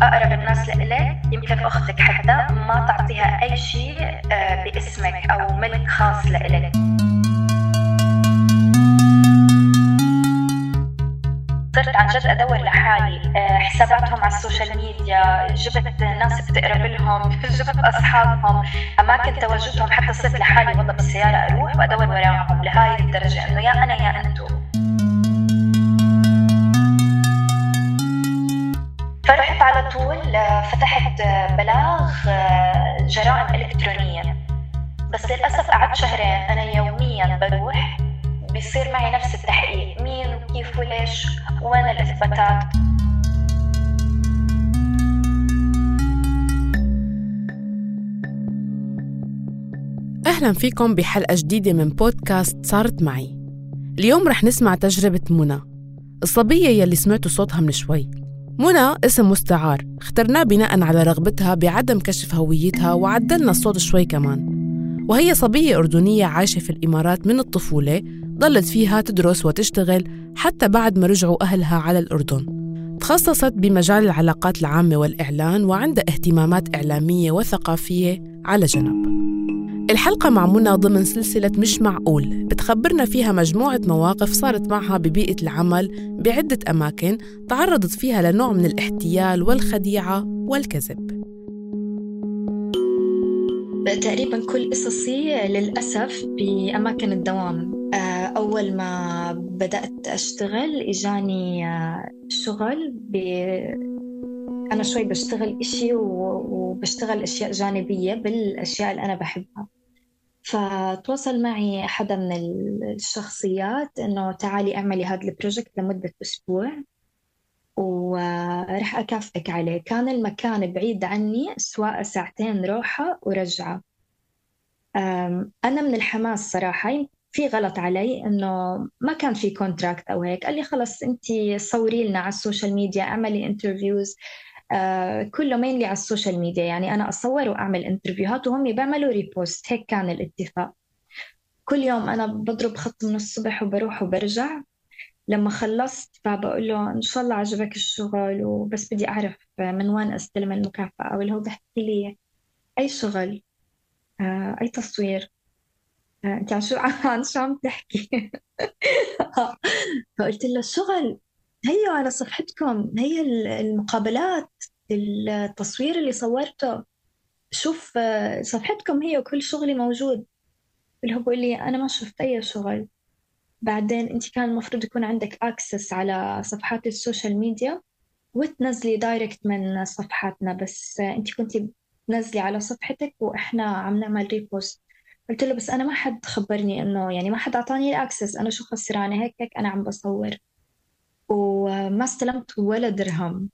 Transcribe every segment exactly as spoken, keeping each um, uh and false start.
أقرب الناس لإلك يمكن أختك حتى ما تعطيها أي شيء باسمك أو ملك خاص لإلك. صرت عن جد أدور لحالي حساباتهم على السوشيال ميديا، جبت ناس بتقرب لهم، جبت أصحابهم، أماكن تواجدهم، حتى صرت لحالي والله بالسيارة أروح وأدور وراهم لهاي الدرجة إنه يا أنا يا أنتو. فرحت على طول فتحت بلاغ جرائم إلكترونية، بس للأسف قعدت شهرين أنا يومياً بروح بيصير معي نفس التحقيق، مين وكيف وليش وين الإثباتات. أهلاً فيكم بحلقة جديدة من بودكاست صارت معي. اليوم رح نسمع تجربة منى، الصبية يلي سمعتوا صوتها من شوي. منى اسم مستعار اخترناه بناء على رغبتها بعدم كشف هويتها، وعدلنا الصوت شوي كمان. وهي صبية أردنية عايشة في الإمارات من الطفولة، ضلت فيها تدرس وتشتغل حتى بعد ما رجعوا أهلها على الأردن. تخصصت بمجال العلاقات العامة والإعلان، وعندها اهتمامات إعلامية وثقافية على جنب. الحلقة مع منى ضمن سلسلة مش معقول، بتخبرنا فيها مجموعة مواقف صارت معها ببيئة العمل بعدة أماكن تعرضت فيها لنوع من الاحتيال والخديعة والكذب. تقريباً كل قصصي للأسف بأماكن الدوام. أول ما بدأت أشتغل إجاني شغل ب... أنا شوي بشتغل إشي وبشتغل أشياء جانبية بالأشياء اللي أنا بحبها. فتواصل معي حدا من الشخصيات إنه تعالي اعملي هذا البروجكت لمدة أسبوع ورح أكافئك عليه. كان المكان بعيد عني سواء ساعتين روحة ورجعة. أنا من الحماس صراحة في غلط علي إنه ما كان في كونتراكت أو هيك. قال لي خلص أنتي صوري لنا على السوشيال ميديا، اعملي انترفيوز، آه كله مينلي على السوشيال ميديا، يعني أنا أصور وأعمل انترفيوهات وهم يبعملوا ريبوست. هيك كان الاتفاق. كل يوم أنا بضرب خط من الصبح وبروح وبرجع. لما خلصت فبقول له إن شاء الله عجبك الشغل وبس بدي أعرف من وين أستلم المكافأة. واللي هو بحكي لي أي شغل، آه أي تصوير، آه أنت عن شو عن شو عم تحكي؟ فقلت له الشغل هي على صفحتكم، هي المقابلات، التصوير اللي صورته، شوف صفحتكم هي وكل شغلي موجود. اللي هو بقول لي أنا ما شفت أي شغل. بعدين أنت كان المفروض يكون عندك أكسس على صفحات السوشيال ميديا وتنزلي دايركت من صفحاتنا، بس أنت كنتي تنزلي على صفحتك وإحنا عم نعمل ريبوست. قلت له بس أنا ما حد خبرني إنه يعني ما حد أعطاني الأكسس، أنا شو خسرانة هيك هيك أنا عم بصور وما استلمت ولا درهم.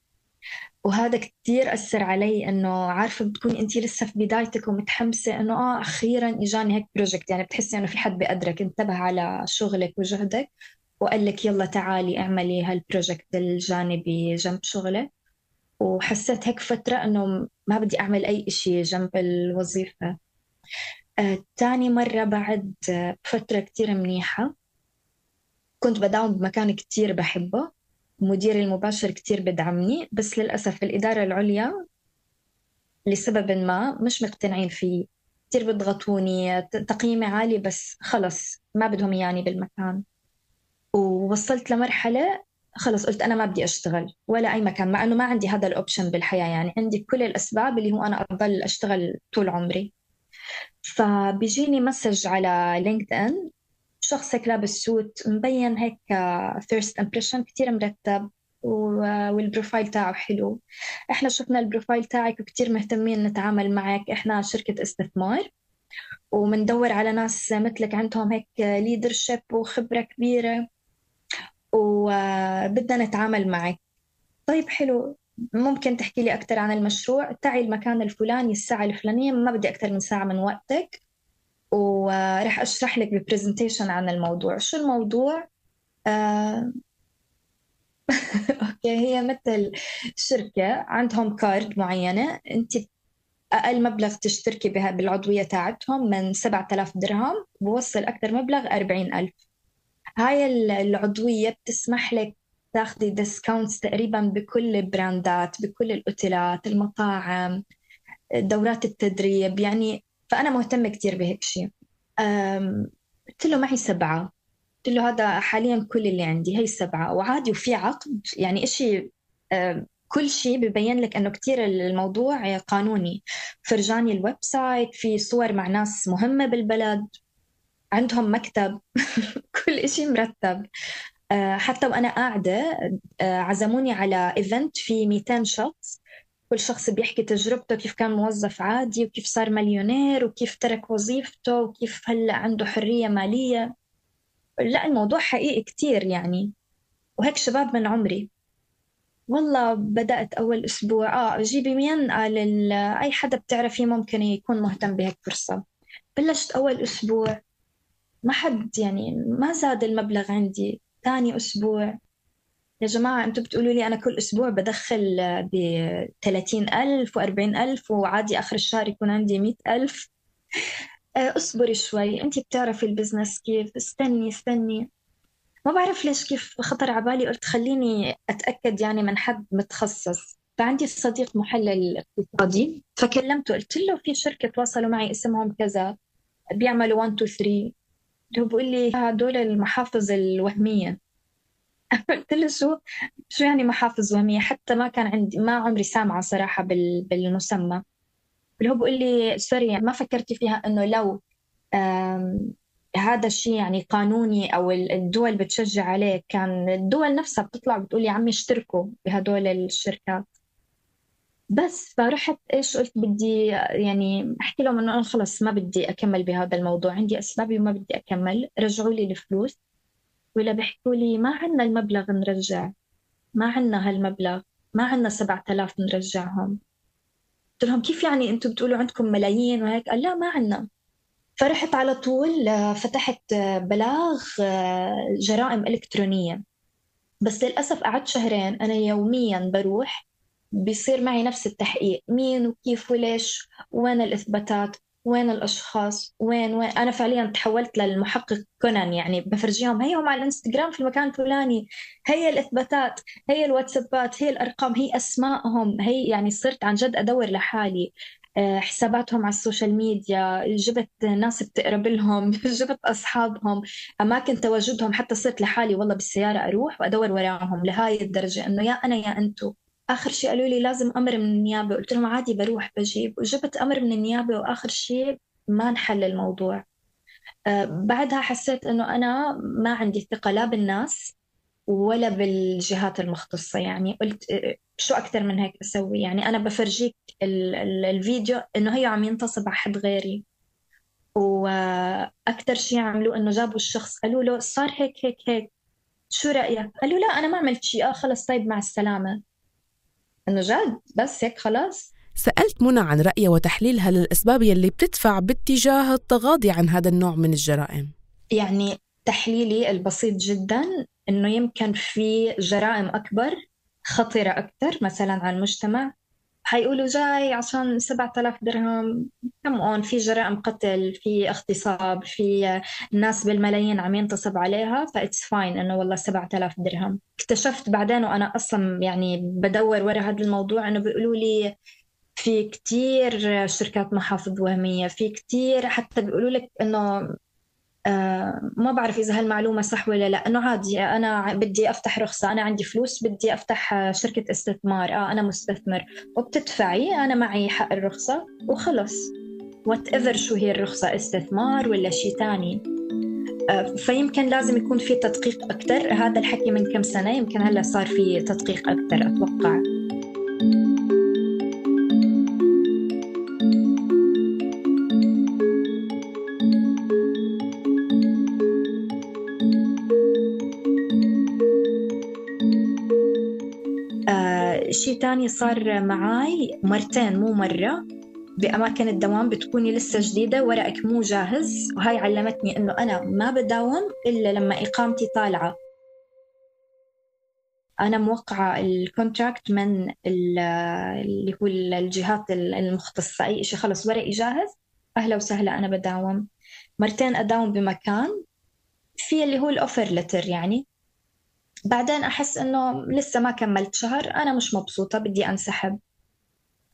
وهذا كتير أثر علي، إنه عارفة بتكون أنتي لسه في بدايتك ومتحمسة إنه آه أخيراً إجاني هيك بروجكت، يعني بتحسي إنه في حد بقدرك انتبه على شغلك وجهدك وقال لك يلا تعالي اعملي هالبروجكت الجانبي جنب شغلك. وحسيت هيك فترة إنه ما بدي أعمل أي إشي جنب الوظيفة. آه، تاني مرة بعد فترة كتير منيحة كنت بداوم بمكان كتير بحبه، مديري المباشر كتير بدعمني، بس للأسف الإدارة العليا لسبب ما مش مقتنعين فيه، كتير بيضغطوني، تقييمي عالي بس خلص ما بدهم يعني بالمكان. ووصلت لمرحلة خلص قلت أنا ما بدي أشتغل ولا أي مكان، مع أنه ما عندي هذا الأوبشن بالحياة، يعني عندي كل الأسباب اللي هو أنا أضل أشتغل طول عمري. فبيجيني مسج على لينكد إن، شخصك لابس سوت مبين هيك first impression كتير مرتب والبروفايل تاعه حلو، احنا شفنا البروفايل تاعك وكتير مهتمين نتعامل معك، احنا شركة استثمار ومندور على ناس مثلك عندهم هيك ليدرشيب وخبرة كبيرة وبدنا نتعامل معك. طيب حلو، ممكن تحكي لي أكتر عن المشروع؟ تعي المكان الفلاني الساعة الفلانية، ما بدي أكتر من ساعة من وقتك ورح أشرح لك ببرزنتيشن عن الموضوع. شو الموضوع؟ آه... أوكي، هي مثل شركة عندهم كارد معينة، أنت أقل مبلغ تشتركي بها بالعضوية تاعتهم من سبعة آلاف درهم، بوصل أكتر مبلغ أربعين ألف. هاي العضوية بتسمح لك تاخدي ديسكاونتس تقريبا بكل البراندات، بكل الأوتيلات، المطاعم، دورات التدريب يعني. فأنا مهتمة كتير بهيك شيء. قلت له معي سبعة، قلت له هذا حاليا كل اللي عندي، هي سبعة وعادي، وفي عقد يعني إشي كل شيء ببين لك أنه كتير الموضوع قانوني. فرجاني الويب سايت، في صور مع ناس مهمة بالبلد، عندهم مكتب كل إشي مرتب. حتى وأنا قاعدة عزموني على إيفنت في مئتين شخص، كل شخص بيحكي تجربته، كيف كان موظف عادي وكيف صار مليونير وكيف ترك وظيفته وكيف هلأ عنده حرية مالية. لا الموضوع حقيقي كتير يعني. وهيك شباب من عمري. والله بدأت أول أسبوع آه جيبي مين؟ قال أي حدا بتعرفيه ممكن يكون مهتم بهيك فرصة. بلشت أول أسبوع ما حد يعني ما زاد المبلغ عندي. ثاني أسبوع يا جماعة أنتوا بتقولوا لي أنا كل أسبوع بدخل بثلاثين ألف وأربعين ألف وعادي آخر الشهر يكون عندي مئة ألف. أصبري شوي، أنتي بتعرفي البزنس كيف، استني استني. ما بعرف ليش كيف خطر عبالي، قلت خليني أتأكد يعني من حد متخصص. فعندي صديق محلل اقتصادي فكلمته، قلت له في شركة تواصلوا معي اسمهم كذا بيعملوا واحد اثنين ثلاثة. هو بيقول لي هدول المحافظ الوهمية. قلت له شو شو يعني محافظ وهمية؟ حتى ما كان عندي، ما عمري سامعة صراحة بالمسمى. اللي هو بيقول لي سوري ما فكرتي فيها إنه لو هذا الشيء يعني قانوني أو الدول بتشجع عليه، كان الدول نفسها بتطلع بتقول يا عمي اشتركوا بهدول الشركات. بس فرحت إيش قلت بدي يعني أحكي لهم إنه أنا خلص ما بدي أكمل بهذا الموضوع، عندي أسبابي وما بدي أكمل. رجعوا لي الفلوس ولا بيحكوا لي ما عنا المبلغ نرجع، ما عنا هالمبلغ، ما عنا سبعة آلاف نرجعهم. قلت لهم كيف يعني أنتم بتقولوا عندكم ملايين وهيك؟ قال لا ما عنا. فرحت على طول فتحت بلاغ جرائم إلكترونية. بس للأسف قعدت شهرين أنا يوميا بروح بيصير معي نفس التحقيق، مين وكيف وليش، وين الإثباتات، وين الأشخاص، وين وين. أنا فعليا تحولت للمحقق كونان يعني، بفرجيهم هيهم على الانستغرام في المكان الفلاني، هي الإثباتات، هي الواتسابات، هي الأرقام، هي أسمائهم، هي يعني صرت عن جد أدور لحالي حساباتهم على السوشيال ميديا، جبت ناس بتقرب لهم جبت أصحابهم، أماكن تواجدهم، حتى صرت لحالي والله بالسيارة أروح وأدور وراهم لهاي الدرجة إنه يا أنا يا أنتو. آخر شيء قالوا لي لازم أمر من النيابة، قلت لهم عادي بروح بجيب، وجبت أمر من النيابة وآخر شيء ما نحل الموضوع. أه بعدها حسيت إنه أنا ما عندي ثقة لا بالناس ولا بالجهات المختصة. يعني قلت شو أكتر من هيك أسوي؟ يعني أنا بفرجيك ال ال الفيديو إنه هي عم ينتصب على حد غيري، وأكتر شيء عملوا إنه جابوا الشخص قالوا له صار هيك هيك هيك شو رأيك؟ قالوا لا أنا ما عملت شيء. آه خلص طيب مع السلامة. إنه جد بس هيك خلاص. سألت منى عن رأيها وتحليلها للأسباب يلي بتدفع باتجاه التغاضي عن هذا النوع من الجرائم. يعني تحليلي البسيط جدا إنه يمكن في جرائم أكبر خطيرة أكثر مثلا على المجتمع، حيقولوا جاي عشان سبعة آلاف درهم. كم أون في جرائم قتل، في اغتصاب، في ناس بالملايين عم ينتصب عليها، فإتس فاين إنه والله سبعة آلاف درهم. اكتشفت بعدين وأنا أصلا يعني بدور ورا هذا الموضوع إنه بيقولوا لي في كتير شركات محافظ وهمية، في كتير حتى بيقولوا لك إنه آه ما بعرف إذا هالمعلومة صح ولا لا، إنه عادي أنا بدي أفتح رخصة، أنا عندي فلوس بدي أفتح شركة استثمار، آه أنا مستثمر وبتدفعي أنا معي حق الرخصة وخلص. whatever شو هي الرخصة، استثمار ولا شيء تاني. آه فيمكن لازم يكون في تدقيق أكتر. هذا الحكي من كم سنة، يمكن هلأ صار في تدقيق أكتر أتوقع. شيء تاني صار معاي مرتين مو مرة بأماكن الدوام، بتكوني لسه جديدة ورقك مو جاهز، وهاي علمتني إنه أنا ما بداوم إلا لما إقامتي طالعة. أنا موقعة الكونتراكت من اللي هو الجهات المختصة، أي شيء خلص ورقي جاهز أهلا وسهلا أنا بداوم. مرتين أداوم بمكان في اللي هو الأوفر لتر يعني، بعدين أحس إنه لسه ما كملت شهر، أنا مش مبسوطة، بدي أنسحب.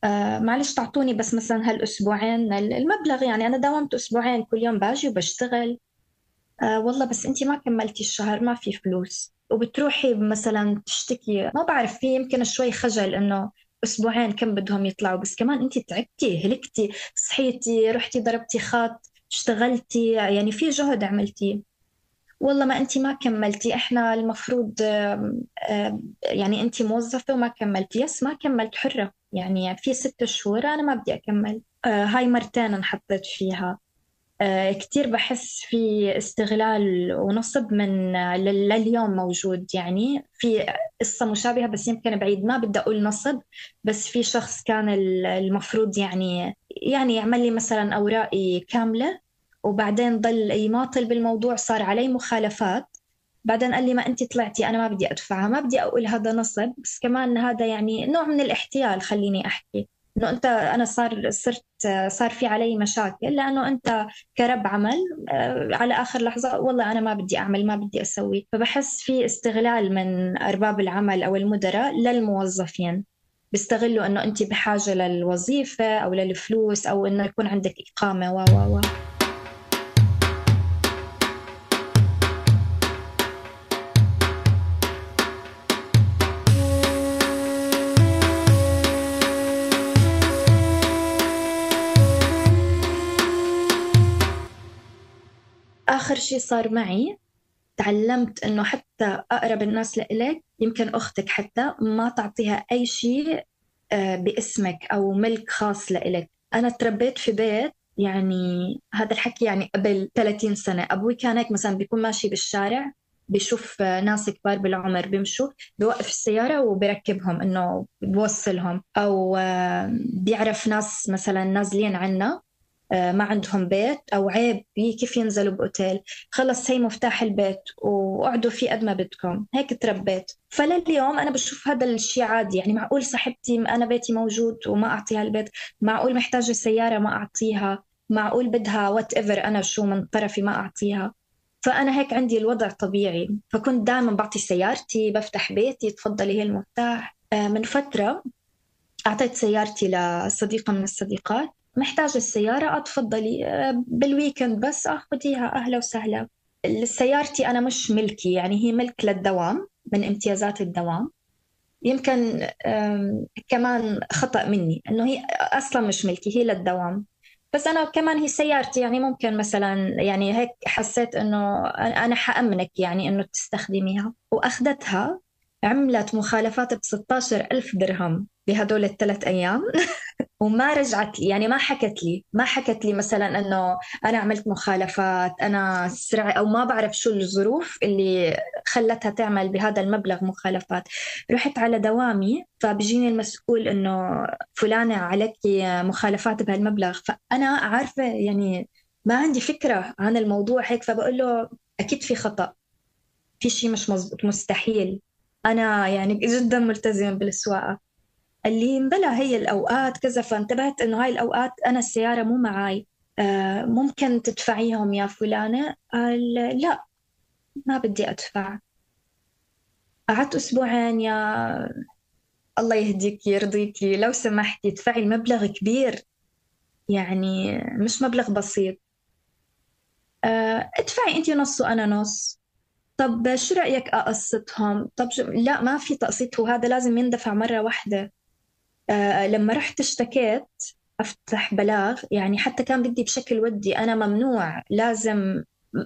آه معلش تعطوني بس مثلا هالأسبوعين المبلغ، يعني أنا داومت أسبوعين كل يوم باجي وبشتغل. آه والله بس أنتي ما كملتي الشهر، ما في فلوس. وبتروحي مثلا تشتكي، ما بعرف، في يمكن شوي خجل إنه أسبوعين كم بدهم يطلعوا، بس كمان أنتي تعبتي هلكتي، صحيتي رحتي ضربتي خط اشتغلتي، يعني في جهد عملتيه. والله ما أنتي ما كملتي، إحنا المفروض آم، آم، يعني أنتي موظفة وما كملتي. يس ما كملت، حرة، يعني في ست شهور أنا ما بدي أكمل. آه، هاي مرتين انحطيت فيها. آه، كتير بحس في استغلال ونصب من آه، لل- لليوم موجود. يعني في قصة مشابهة بس يمكن بعيد، ما بدي أقول نصب، بس في شخص كان ال- المفروض يعني يعني يعمل لي مثلا أوراقي كاملة، وبعدين ضل يماطل بالموضوع، صار علي مخالفات. بعدين قال لي ما أنت طلعتي، أنا ما بدي أدفعها. ما بدي أقول هذا نصب، بس كمان هذا يعني نوع من الاحتيال، خليني أحكي إنه أنت، أنا صار صرت صار في علي مشاكل لأنه أنت كرب عمل آه، على آخر لحظة والله أنا ما بدي أعمل، ما بدي أسوي. فبحس في استغلال من أرباب العمل أو المدراء للموظفين، بيستغلوا إنه أنت بحاجة للوظيفة أو للفلوس أو إنه يكون عندك إقامة و و و آخر شيء صار معي، تعلمت إنه حتى أقرب الناس لإلك، يمكن أختك حتى، ما تعطيها أي شيء آه، باسمك أو ملك خاص لإلك. أنا تربيت في بيت، يعني هذا الحكي يعني قبل ثلاثين سنة، أبوي كان هيك مثلا بيكون ماشي بالشارع، بيشوف آه، ناس كبار بالعمر بيمشوا، بيوقف السيارة وبيركبهم، إنه بيوصلهم. أو آه، بيعرف ناس مثلا نازلين عنا آه، ما عندهم بيت أو عيب كيف ينزلوا بأوتيل، خلص هي مفتاح البيت وقعدوا فيه قد ما بدكم. هيك تربيت. فلليوم أنا بشوف هذا الشيء عادي. يعني معقول صاحبتي أنا بيتي موجود وما أعطيها البيت؟ معقول محتاجة سيارة ما أعطيها؟ معقول بدها وات ايفر أنا شو من طرفي ما أعطيها؟ فأنا هيك عندي الوضع طبيعي، فكنت دائما بعطي سيارتي، بفتح بيتي، تفضلي هي المفتاح. آه، من فترة أعطيت سيارتي لصديقة من الصديقات، محتاجة السيارة، أتفضلي آه، بالويكند بس أخذيها، أهلا وسهلا. سيارتي أنا مش ملكي، يعني هي ملك للدوام، من امتيازات الدوام. يمكن آم، كمان خطأ مني إنه هي أصلا مش ملكي، هي للدوام. بس أنا كمان هي سيارتي، يعني ممكن مثلا يعني هيك حسيت إنه أنا حأمنك يعني إنه تستخدميها، وأخذتها. عملت مخالفات ب ستاشر ألف درهم بهدول الثلاث أيام. وما رجعت لي، يعني ما حكت لي ما حكت لي مثلا انه انا عملت مخالفات، انا سرعة، او ما بعرف شو الظروف اللي خلتها تعمل بهذا المبلغ مخالفات. رحت على دوامي، فبيجيني المسؤول انه فلانة عليك مخالفات بهالمبلغ، فانا عارفة يعني ما عندي فكرة عن الموضوع هيك، فبقول له اكيد في خطأ، في شيء مش مزبوط، مستحيل، انا يعني جدا ملتزمة بالسواقة. قال لي بلا هي الأوقات كذا. فانتبهت إنه هاي الأوقات أنا السيارة مو معاي، آه ممكن تدفعيهم يا فلانة؟ قال لا، ما بدي أدفع. قعدت أسبوعين، يا الله يهديك يرضيكي لو سمحتي ادفعي المبلغ كبير، يعني مش مبلغ بسيط. آه ادفعي أنت نص وأنا نص. طب شو رأيك أقسطهم؟ طب شو؟ لا ما في تقسيط، وهذا لازم يندفع مرة واحدة. آه لما رحت اشتكيت أفتح بلاغ، يعني حتى كان بدي بشكل ودي، أنا ممنوع لازم.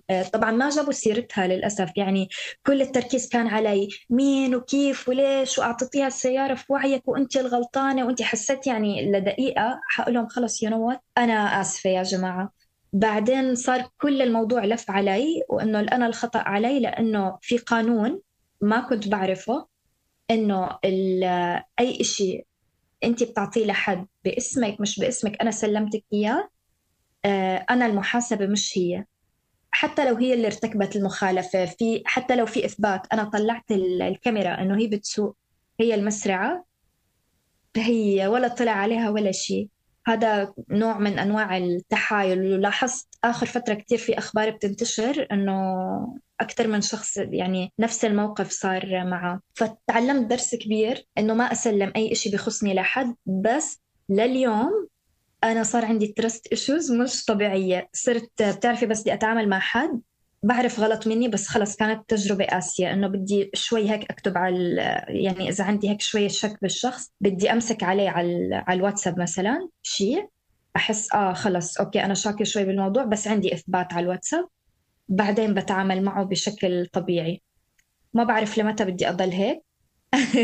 آه طبعا ما جابوا سيرتها للأسف، يعني كل التركيز كان علي، مين وكيف وليش وأعطيتيها السيارة في وعيك وأنت الغلطانة وأنت. حسيت يعني لدقيقة حقول لهم خلص يو نو وات، أنا آسفة يا جماعة. بعدين صار كل الموضوع لف علي، وإنه أنا الخطأ علي لأنه في قانون ما كنت بعرفه، إنه أي إشي انت بتعطيه لحد باسمك مش باسمك، انا سلمتك اياه، آه، انا المحاسبه مش هي. حتى لو هي اللي ارتكبت المخالفه، في حتى لو في اثبات، انا طلعت ال- الكاميرا انه هي بتسوق، هي المسرعه، هي ولا طلع عليها ولا شيء. هذا نوع من انواع التحايل. ولاحظت اخر فتره كثير في اخبار بتنتشر انه أكتر من شخص يعني نفس الموقف صار معه. فتعلمت درس كبير إنه ما أسلم أي إشي بيخصني لحد. بس لليوم أنا صار عندي trust issues مش طبيعية. صرت بتعرفي بس بدي أتعامل مع حد بعرف غلط مني، بس خلص كانت تجربة قاسية إنه بدي شوي هيك أكتب على، يعني إذا عندي هيك شوية شك بالشخص بدي أمسك عليه على على الواتساب مثلا شيء، أحس آه خلص أوكي أنا شاكة شوي بالموضوع بس عندي إثبات على الواتساب، بعدين بتعامل معه بشكل طبيعي. ما بعرف لمتى بدي أضل هيك.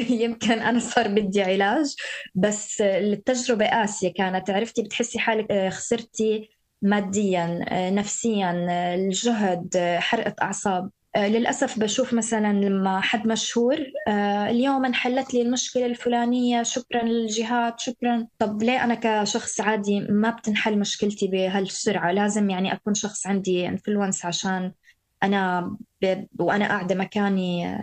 يمكن أنا صار بدي علاج، بس التجربة قاسية كانت. عرفتي بتحسي حالك خسرتي ماديا نفسيا الجهد، حرقة أعصاب. للأسف بشوف مثلا لما حد مشهور اليوم انحلت لي المشكلة الفلانية شكرا للجهات شكرا. طب ليه أنا كشخص عادي ما بتنحل مشكلتي بهالسرعة؟ لازم يعني أكون شخص عندي انفلونس عشان أنا ب... وأنا قاعدة مكاني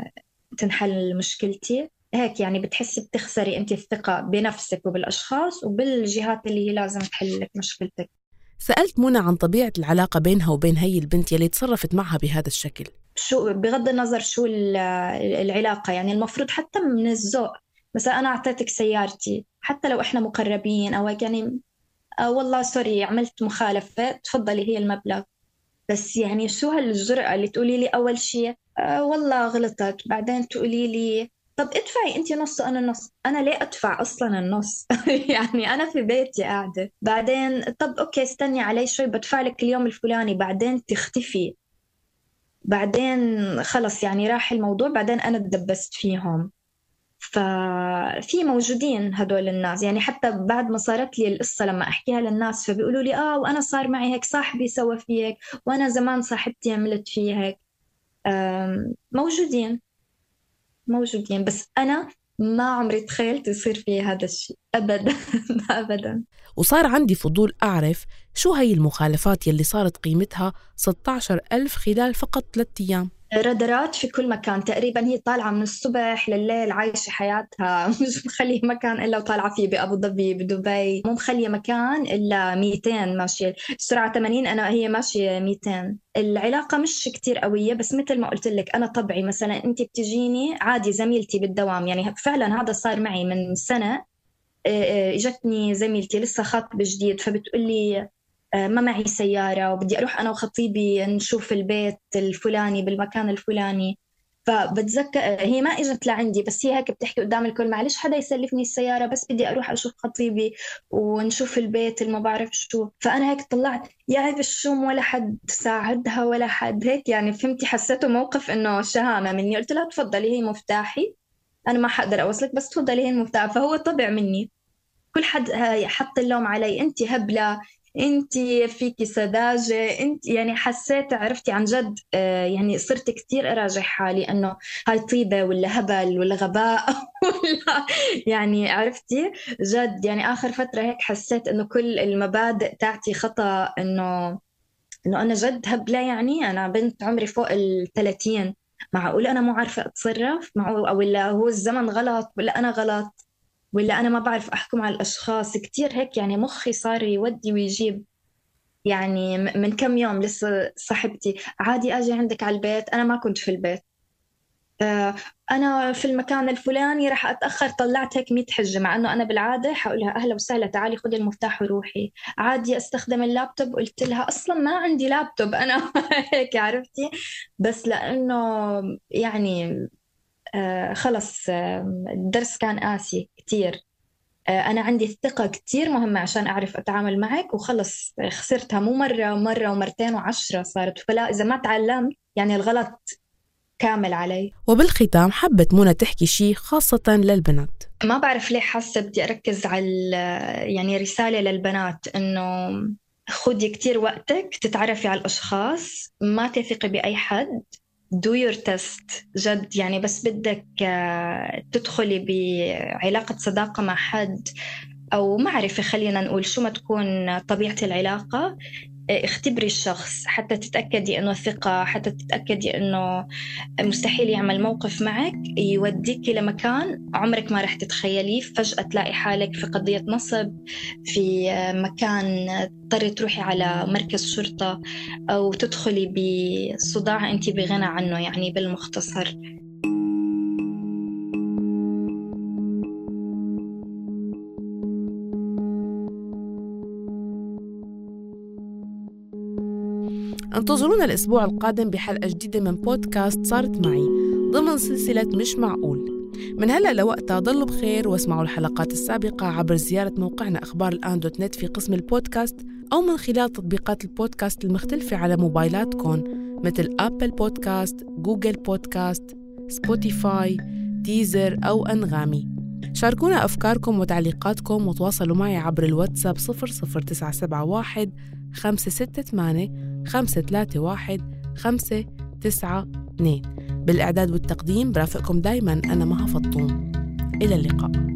تنحل مشكلتي؟ هيك يعني بتحسي بتخسري أنت الثقة بنفسك وبالأشخاص وبالجهات اللي هي لازم تحل لك مشكلتك. سألت منى عن طبيعة العلاقة بينها وبين هي البنت يلي تصرفت معها بهذا الشكل. شو بغض النظر شو العلاقة، يعني المفروض حتى من الذوق. مثلا أنا أعطيتك سيارتي حتى لو إحنا مقربين أو يعني آه والله سوري عملت مخالفة تفضلي هي المبلغ. بس يعني شو هالجرأة اللي تقولي لي أول شيء آه والله غلطت، بعدين تقولي لي طب ادفعي انتي نص وانا نص. انا ليه ادفع اصلا النص؟ يعني انا في بيتي قاعدة. بعدين طب اوكي استني علي شوي بدفع لك اليوم الفلاني، بعدين تختفي، بعدين خلص يعني راح الموضوع، بعدين انا تدبست فيهم. ففي موجودين هدول الناس، يعني حتى بعد ما صارت لي القصة لما أحكيها للناس فبيقولوا لي آه وأنا صار معي هيك، صاحبي سوى في هيك، وأنا زمان صاحبتي عملت في هيك. موجودين موجودين بس أنا ما عمري تخيلت يصير في هذا الشيء أبدا. أبدا. وصار عندي فضول أعرف شو هي المخالفات يلي صارت قيمتها ستة عشر ألف خلال فقط ثلاثة أيام. رادارات في كل مكان تقريبا، هي طالعة من الصبح لليل عايشة حياتها، مش مخليه مكان إلا وطالعة فيه. بأبو ظبي بدبي مو مخليه مكان إلا ميتين ماشية السرعة ثمانين، أنا هي ماشية ميتين. العلاقة مش كتير قوية بس مثل ما قلت لك أنا طبعي مثلا أنت بتجيني عادي زميلتي بالدوام، يعني فعلا هذا صار معي من سنة. اجتني زميلتي لسه خاطبة جديد فبتقولي ما معي سيارة وبدي أروح أنا وخطيبي نشوف البيت الفلاني بالمكان الفلاني. فبتذكر هي ما إجت لعندي بس هي هيك بتحكي قدام الكل معلش حدا يسلفني السيارة بس بدي أروح أشوف خطيبي ونشوف البيت اللي ما بعرف شو. فأنا هيك طلعت يا عيب الشوم ولا حد ساعدها ولا حد هيك، يعني فهمتي حسيته موقف إنه شهامة مني. قلت لها تفضلي هي مفتاحي، أنا ما حقدر أوصلك بس تفضلي هي المفتاح. فهو طبع مني كل حد حط اللوم علي، أنت هبلة، انت فيكي سذاجة، انت يعني حسيت عرفتي عن جد يعني صرت كتير اراجع حالي انه هاي طيبة ولا هبل ولا غباء ولا يعني عرفتي جد. يعني اخر فترة هيك حسيت انه كل المبادئ تاعتي خطأ، انه انه انا جد هبلة. يعني انا بنت عمري فوق الثلاثين، معقول انا مو عارفة اتصرف معقول؟ او ولا هو الزمن غلط ولا انا غلط ولا أنا ما بعرف أحكم على الأشخاص كتير هيك. يعني مخي صار يودي ويجيب. يعني من كم يوم لسه صاحبتي عادي أجي عندك على البيت، أنا ما كنت في البيت، أنا في المكان الفلاني رح أتأخر، طلعت هيك مية حجة مع أنه أنا بالعادة حقولها أهلا وسهلا تعالي خذي المفتاح وروحي. عادي أستخدم اللابتوب، قلت لها أصلا ما عندي لابتوب أنا. هيك عرفتي. بس لأنه يعني آه خلص آه الدرس كان قاسي كتير. آه أنا عندي الثقة كتير مهمة عشان أعرف أتعامل معك، وخلص خسرتها مو مرة ومرة ومرتين وعشرة صارت. فلا إذا ما تعلمت يعني الغلط كامل علي. وبالختام حبت منى تحكي شيء خاصة للبنات. ما بعرف ليه حاسة بدي أركز على يعني رسالة للبنات إنه خدي كتير وقتك تتعرفي على الأشخاص، ما تثقي بأي حد، do your test جد. يعني بس بدك تدخلي بعلاقة صداقة مع حد أو معرفة خلينا نقول شو ما تكون طبيعة العلاقة، اختبري الشخص حتى تتأكدي أنه ثقة، حتى تتأكدي أنه مستحيل يعمل موقف معك يوديك لمكان عمرك ما رح تتخيليه. فجأة تلاقي حالك في قضية نصب، في مكان تضطري تروحي على مركز شرطة، أو تدخلي بصداع أنت بغنى عنه، يعني بالمختصر. انتظرونا الأسبوع القادم بحلقة جديدة من بودكاست صارت معي ضمن سلسلة مش معقول. من هلأ لوقتها ضلوا بخير، واسمعوا الحلقات السابقة عبر زيارة موقعنا أخبار الآن دوت نت في قسم البودكاست، أو من خلال تطبيقات البودكاست المختلفة على موبايلاتكم مثل أبل بودكاست، جوجل بودكاست، سبوتيفاي، ديزر أو أنغامي. شاركونا أفكاركم وتعليقاتكم وتواصلوا معي عبر الواتساب صفر صفر تسعة سبعة واحد خمسة ستة ثمانية خمسة ثلاثة واحد خمسة تسعة اثنين. بالإعداد والتقديم برافقكم دايماً أنا مها فطوم. إلى اللقاء.